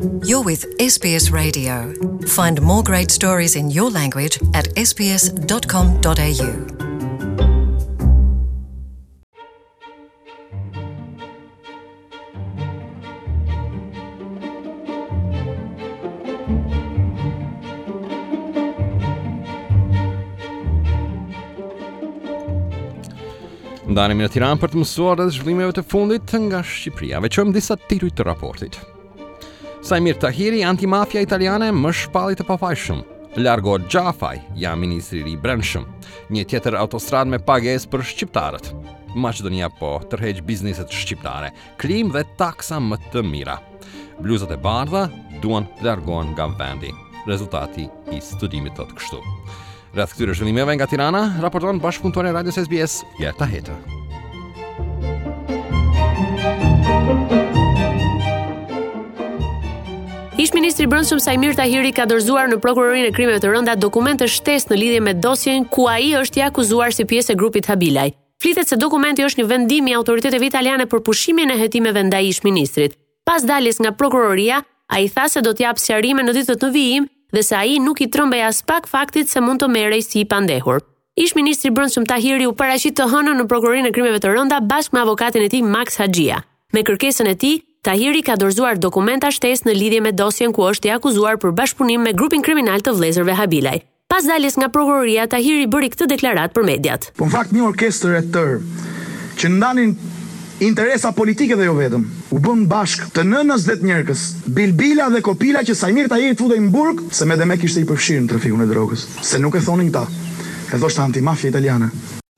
You're with SBS Radio. Find more great stories in your language at sbs.com.au. Ndalemi në Tiranë për të mësuar rreth zhvillimeve të fundit nga Shqipëria. Veçojmë disa tituj të raportit. Saimir Tahiri, antimafia italiane, më shpalli të pafajshëm. Largohet Xhafaj, ja ministri i ri i Brendshëm. Një tjetër autostradë me pagesë për shqiptarët. Maqedonia po tërheq bizneset shqiptare. Klimë dhe taksa më të mira. Bluzat e bardha duan të largohen nga vendi. Rezultati i studimit thotë kështu. Rreth këtyre zhvillimeve nga Tirana, raporton bashkëpunëtorja e radios SBS, Gerta Heta. Ish ministri i Brendshëm Saimir Tahiri ka dorëzuar në Prokurorinë e Krimeve të Rënda dokumente shtesë në lidhje me dosjen ku ai është i akuzuar si pjesë e grupit Habilaj. Flitet se dokumenti është një vendim i autoriteteve italiane për pushimin e hetimeve ndaj ish-ministrit. Pas daljes nga prokuroria, ai tha se do të japë sqarime në ditët në vijim dhe se ai nuk i trembej aspak faktit se mund të merrej si i pandehur. Ish-ministri i Brendshëm Tahiri u paraqit të hënën në Prokurorinë e Krimeve të Rënda bashkë me avokatin e tij Maks Haxhia. Me kërkesën e tij, Tahiri ka dorëzuar dokumenta shtesë në lidhje me dosjen ku është i akuzuar për bashkëpunim me grupin kriminal të vëllezërve Habilaj. Pas daljes nga prokuroria, Tahiri bëri këtë deklaratë për mediat. Po në fakt një orkestër e tërë që ndanin interesa politike dhe jo vetëm, u bënë bashkë të nënës dhe të njerkës, bilbila dhe kopila që Saimir Tahiri të futej në burg, se me demek ishte i përfshirë në trafikun e drogës, se nuk e thonin këta, e thoshte antimafia italiane.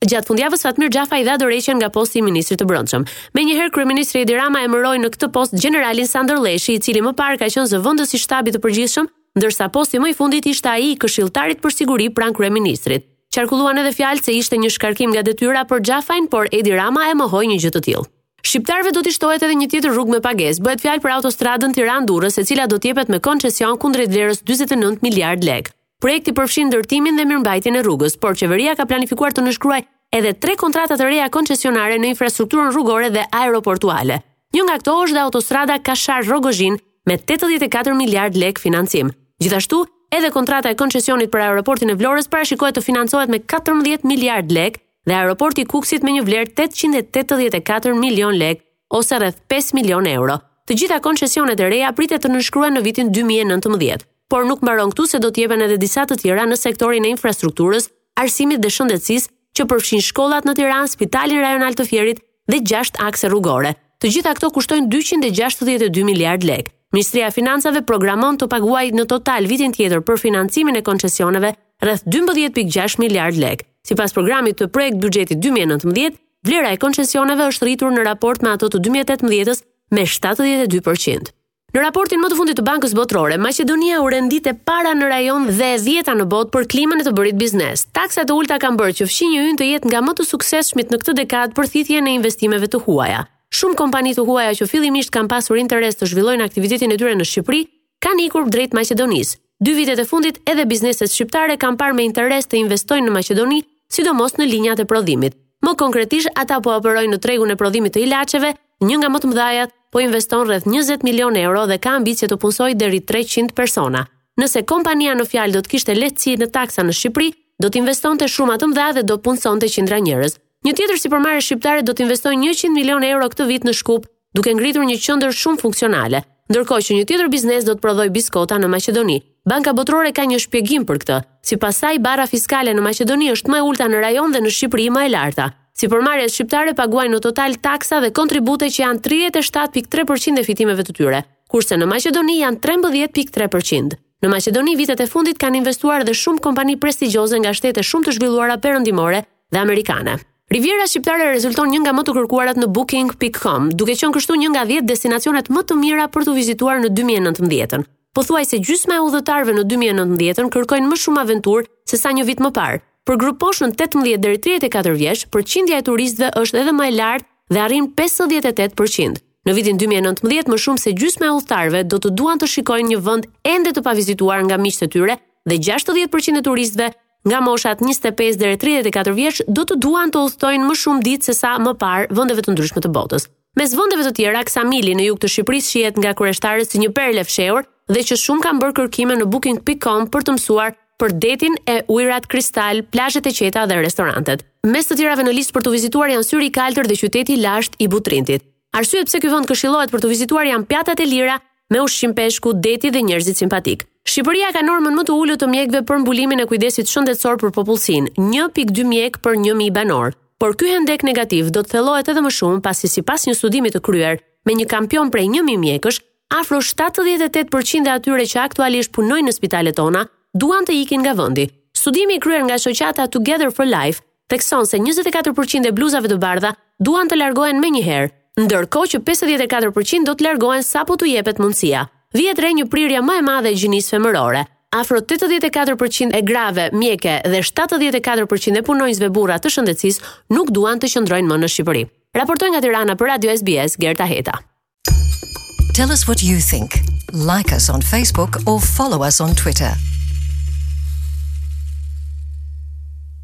Gjatë fundjavës Fatmir Xhafaj dha dorëheqjen nga posti i ministrit të Brendshëm. Menjëherë kryeministri Edi Rama emëroi në këtë post gjeneralin Sandër Lleshi, i cili më parë ka qenë zëvendës i Shtabit të Përgjithshëm ndërsa posti më i fundit ishte ai i këshilltarit për siguri pranë kryeministrit. Qarkulluan edhe fjalë se ishte një shkarkim nga detyra për Xhafajn, por Edi Rama e mohoi një gjë të tillë. Shqiptarëve do t'i shtohet edhe një tjetër rrugë me pagesë. Bëhet fjalë për autostradën Tiranë-Durrës, e cila do të jepet me koncesion kundrejt vlerës 49 miliardë lekë. Projekti përfshin ndërtimin dhe mirëmbajtjen e rrugës, por qeveria ka planifikuar të nënshkruajë edhe tre kontrata të reja koncesionare në infrastrukturën rrugore dhe aeroportuale. Një nga këto është dhe autostrada Kashar-Rrogozhinë me 84 miliardë lekë financim. Gjithashtu, edhe kontrata e koncesionit për aeroportin e Vlorës parashikohet të financohet me 14 miliardë lekë dhe aeroporti i Kukësit me një vlerë 884 milion lekë ose rreth 5 milion euro. Të gjitha koncesionet e reja pritet të nënshkruhen në vitin 2019. Por nuk mbaron këtu se do të jepen edhe disa të tjera në sektorin e infrastrukturës, arsimit dhe shëndetësisë, që përfshin shkollat në Tiranë, spitalin rajonal të Fierit dhe 6 akse rrugore. Të gjitha këto kushtojnë 262 miliardë lekë. Ministria e Financave programon të paguajë në total vitin tjetër për financimin e koncesioneve rreth 12.6 miliardë lekë. Sipas programit të projekt buxhetit 2019, vlera e koncesioneve është rritur në raport me ato të 2018-s me 72%. Në raportin më të fundit të Bankës Botërore, Maqedonia u rendit e para në rajon dhe e dhjeta në botë për klimën e të bërit biznes. Taksat e ulëta kanë bërë që fqinji ynë të jetë nga më të suksesshmit në këtë dekadë për thithjen e investimeve të huaja. Shumë kompani të huaja që fillimisht kanë pasur interes të zhvillojnë aktivitetin e tyre në Shqipëri, kanë ikur drejt Maqedonisë. Dy vitet e fundit edhe bizneset shqiptare kanë parë me interes të investojnë në Maqedoni, sidomos në linjat e prodhimit. Më konkretisht, ata po operojnë në tregun e prodhimit të ilaçeve, një nga më të mëdhajat, po investon rreth 20 milionë euro dhe ka ambicie të punësojë deri 300 persona. Nëse kompania në fjalë do të kishte lehtësi në taksa në Shqipëri, do të investonte shuma të mëdha dhe do punësonte qindra njerëz. Një tjetër sipërmarrje shqiptare do të investojë 100 milionë euro këtë vit në Shkup, duke ngritur një qendër shumë funksionale, ndërkohë që një tjetër biznes do të prodhojë biskota në Maqedoni. Banka Botërore ka një shpjegim për këtë. Sipas saj, barra fiskale në Maqedoni është më e ulëta në rajon dhe në Shqipëri më e larta. Sipërmarrjet shqiptare paguajnë në total taksa dhe kontribute që janë 37.3% e fitimeve të tyre, kurse në Maqedoni janë 13.3%. Në Maqedoni vitet e fundit kanë investuar dhe shumë kompani prestigjioze nga shtete shumë të zhvilluara perëndimore dhe amerikane. Riviera shqiptare rezulton një nga më të kërkuarat në booking.com, duke qenë kështu një nga 10 destinacionet më të mira për t'u vizituar në 2019-ën. Pothuajse gjysma e udhëtarëve në 2019-ën kërkojnë më shumë aventurë se sa një vit më parë. Për grupmoshën 18 deri 34 vjeç, përqindja e turistëve është edhe më e lartë dhe arrin 58%. Në vitin 2019, më shumë se gjysma e udhëtarëve do të duan të shikojnë një vend ende të pavizituar nga miqtë e tyre dhe 60% e turistëve nga moshat 25 deri 34 vjeç do të duan të udhëtojnë më shumë ditë se sa më parë vendeve të ndryshme të botës. Mes vendeve të tjera, Ksamili në jug të Shqipërisë shihet nga kureshtarët si një perlë e fshehur dhe që shumë kanë bërë kërkime në booking.com për të mësuar për detin e ujërat kristal, plazhet e qeta dhe restorantet. Mes të tjerave në listë për t'u vizituar janë Syri i Kaltër dhe qyteti i lashtë i Butrintit. Arsyet pse ky vend këshillohet për t'u vizituar janë pjatat e lira me ushqim peshku, deti dhe njerëzit simpatikë. Shqipëria ka normën më të ulët të mjekëve për mbulimin e kujdesit shëndetësor për popullsinë, 1.2 mjekë për 1000 banorë. Por ky hendek negativ do të thellohet edhe më shumë pasi sipas një studimi të kryer me një kampion prej 1000 mjekësh, afro 78% e atyre që aktualisht punojnë në spitalet tona duan të ikin nga vendi. Studimi i kryer nga shoqata Together for Life thekson se 24% e bluzave të bardha duan të largohen menjëherë, ndërkohë që 54% do të largohen sapo t'u jepet mundësia. Vihet re një prirje më e madhe e gjinisë femërore. Afro 84% e grave mjeke dhe 74% e punonjësve burra të shëndetësisë nuk duan të qëndrojnë më në Shqipëri. Raportoi nga Tirana për Radio SBS Gerta Heta. Tell us what you think. Like us on Facebook or follow us on Twitter.